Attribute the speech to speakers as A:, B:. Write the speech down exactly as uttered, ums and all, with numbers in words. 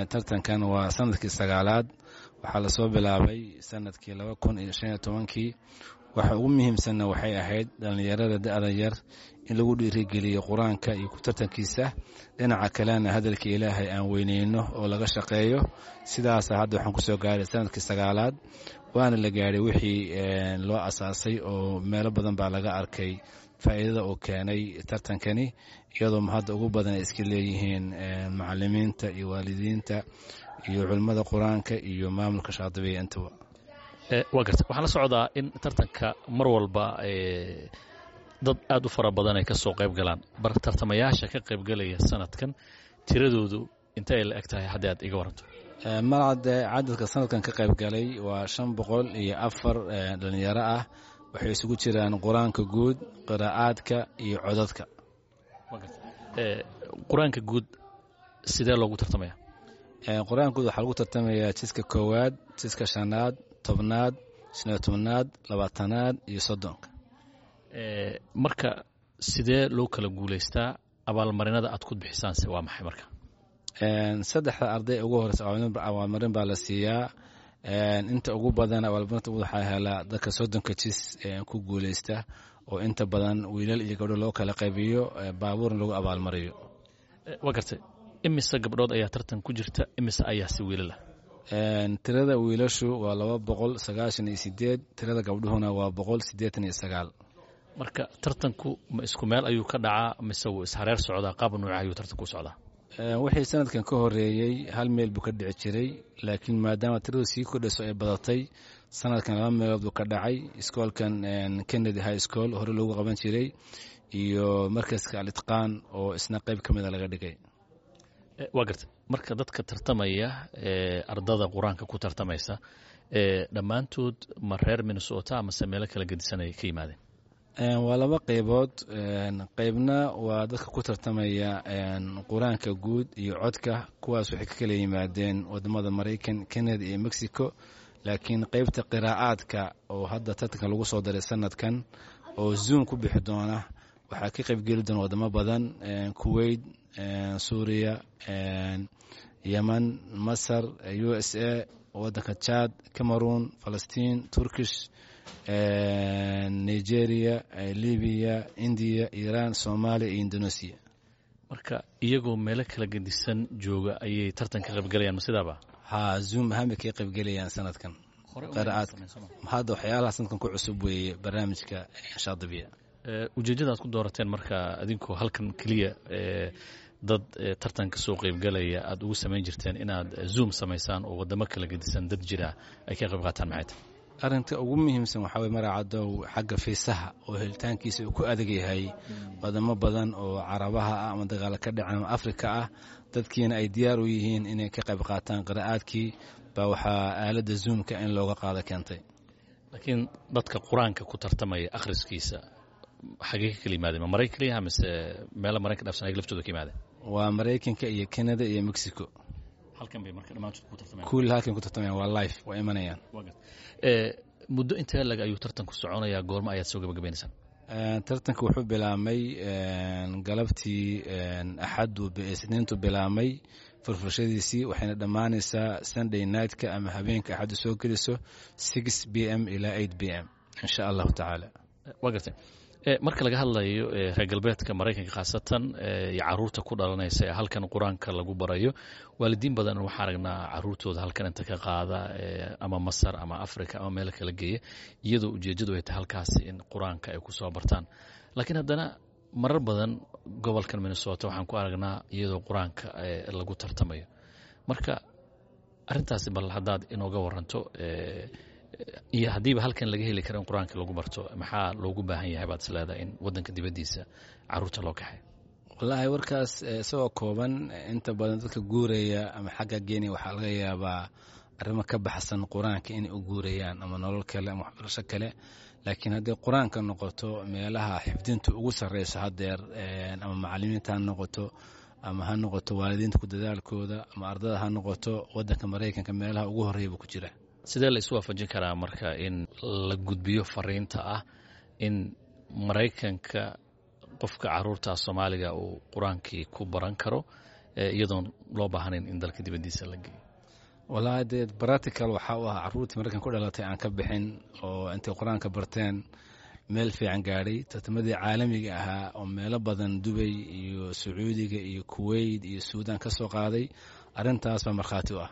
A: Tartankan waa sanadkii sagaalaad. Waxaa lasoo bilaabay sanadkii laba kun iyo shan iyo tobankii. Waxa ugu muhiimsanna waxay ahayd dhallinyarada da'da yar in lagu dhiirigeliyo Qur-aanka iyo ku tartankiisa, dhinaca kalena hadalka Ilaahay aan weyneyno oo laga shaqeeyo. Sidaasa hadda waxaan kusoo gaaray sanadkii sagaalaad, waana la gaadhay wixii loo asaasay oo meelo badan baa laga arkay faa'iidada uu keenay tartankani, iyadoo hadda ugu badan ay iska leeyihiin macalimiinta iyo waalidiinta iyo culimmada Qur-aanka iyo maamulka Shaadibiya intaba.
B: Waa garta. Waxaan la socdaa in tartanka mar walba dad aad u fara badan ay ka soo qayb galaan. Bar tartamayaasha ka qaybgalaya sanadkan tiradoodu intay la eg tahay, haddii aad iga waranto?
A: Malcade, cadadka sanadkan ka qayb galay waa shan boqol iyo afar dhalinyaro ah. Waxay isugu jiraan Qur-aanka guud, qiraa'aadka iyo codadka.
B: Qur-aanka guud sidee loogu tartamaya?
A: Qur-aanka guud waxaa lagu tartamayaa jiska koowaad, jiska shanaad, tobnaad, shan iyo tobnaad, labaatanaad iyo soddonka.
B: Marka sidee loo kala guulaystaa? Abaalmarinada aad ku bixisaanse waa maxay marka?
A: Saddexda arday ugu horeysa abaalmarin baa la siiyaa. Inta ugu badan abaalmarinta waxaa helaa dadka soddonka jis ku guuleysta, oo inta badan wiilal iyo gabdho loo kala qaybiyo, baabuurna lagu abaalmariyo.
B: Waa gartay. Imise gabdhood ayaa tartan ku jirta, imise ayaa si wiilala?
A: Tirada wiilashu waa laba boqol sagaashan iyo sideed, tirada gabdhuhuna waa boqol siddeetan iyo sagaal.
B: Marka tartanku ma isku meel ayuu ka dhacaa mise wuu ishareer socdaa? Qaab nuuca ayuu tartanku u socdaa?
A: Wixii sanadkan ka horeeyey hal meel buu ka dhici jiray, laakiin maadaama tiradu sii kordhayso ay badatay, sanadkan laba meelood buu ka dhacay: iskoolkan Kennedy High School hore loogu qaban jiray iyo markaska Al-Itqaan oo isna qayb ka mida laga dhigay.
B: Waa gartay. Marka dadka tartamaya, ardada Qur-aanka ku tartamaysa, dhammaantood ma reer Minnesota amase meelo kala gedisanay ka yimaadeen?
A: Waa laba qaybood. Qaybna waa dadka ku tartamaya Qur-aanka guud iyo codka. Kuwaas waxay ka kala yimaadeen wadamada Maraykan, Canada iyo Mexico. Laakiin qaybta qiraa'aadka oo hadda tartanka lagu soo daray sanadkan oo Zoom ku bixi doona, waxaa ka qaybgeli doona wadamo badan: Kuwait, Suuriya, Yemen, Masar, U S A, wadanka Chad, Cameroon, Falastiin, Turkish, Nigeria, Libiya, India, Iran, Soomaaliya iyo Indonesia.
B: Marka iyagoo meelo kala gedisan jooga ayay tartan ka qaybgalayaan, ma sidaaba?
A: Ha, Zoom ahaan bay kaga qaybgelayaan sanadkan qiraa'aadka. Hadda waxyaalaha sanadkan ku cusub weeye barnaamijka Shaadibiya.
B: Ujeeddada aad ku doorateen marka, adinkoo halkan keliya dad tartan ka soo qaybgalaya aad ugu samayn jirteen, inaad Zoom samaysaan oo waddamo kala gedisan dad jira ay ka qayb qaataan, maxay tahay?
A: Arrinta ugu muhiimsan waxaa weye, Maracadow, xagga fiisaha oo helitaankiisa uu ku adag yahay wadamo badan oo Carabaha ah ama dagaalo ka dhacan ama Afrika ah, dadkiina ay diyaar u yihiin inay ka qayb qaataan qiraa'aadkii, baa waxaa aaladda Zoomka in looga qaado keentay.
B: Laakiin dadka Qur-aanka ku tartamaya akhriskiisa xagee ka kala yimaadeen? Ma Maraykan keliyaha mise meelo Maraykan dhaafsan ayaga laftooda ka yimaadeen?
A: Waa Maraykanka iyo Canada iyo Mexico.
B: Halkan bay marka dhammaantood ku tartamayaan?
A: Kulli halkan ku tartamayaan, waa live, waa imanayaan.
B: Muddo intee lag ayuu tartanku soconayaa? Goormo ayaad soo gabagabaynaysaan?
A: Tartanka wuxuu bilaabmay galabtii Axaddu, Isniintu bilaabmay furfurshadiisii, waxayna dhammaanaysaa Sunday nightka ama habeenka Axaddu soo geliso, six p m ilaa eight p m, insha Allahu tacaala.
B: Waa gartay. Marka laga hadlayo reer galbeedka, Maraykanka khaasatan, iyo caruurta ku dhalanaysa ee halkan Qur-aanka lagu barayo, waalidiin badan waxaa aragnaa caruurtooda halkan inta ka qaada ama Masar ama Africa ama meel kala geeya, iyadoo ujeeddadu ay tahay halkaasi in Qur-aanka ay ku soo bartaan. Laakiin haddana marar badan gobolkan Minnesota waxaan ku aragnaa iyadoo Qur-aanka lagu tartamayo. Marka arrintaasi bal haddaad inooga waranto, iyo haddiiba halkan laga heli karo in Qur-aanka lagu barto, maxaa loogu baahan yahay baad is leedahay in waddanka dibaddiisa caruurta loo kaxay?
A: Wallaahi, warkaas isagoo kooban, inta badan dadka guuraya ama xagga geynaya waxaa laga yaabaa arrimo ka baxsan Qur-aanka inay u guurayaan, ama nolol kale ama waxbarasho kale. Laakiin haddii Qur-aanka noqoto, meelaha xifdintu ugu sarreyso haddeer, ama macalimiinta ha noqoto ama ha noqoto waalidiinta ku dadaalkooda ama ardada ha noqoto, waddanka Maraykanka meelaha ugu horreeya buu ku jira.
B: Sidee la isu waafajin karaa marka in la gudbiyo fariinta ah in Maraykanka qofka caruurta Soomaaliga uu Qur-aankii ku baran karo? Iyadoon loo baahnayn in dalka dibaddiisa la geeyo.
A: Wallaahi dee practical waxaa u ah carruurtii Maraykan ku dhalatay aan ka bixin oo intay Qur-aanka barteen meel fiican gaadhay, tartamadii caalamiga ahaa oo meelo badan, Dubay iyo Sacuudiga iyo Kuwait iyo Suudaan ka soo qaaday. Arrintaas baa markhaati u ah.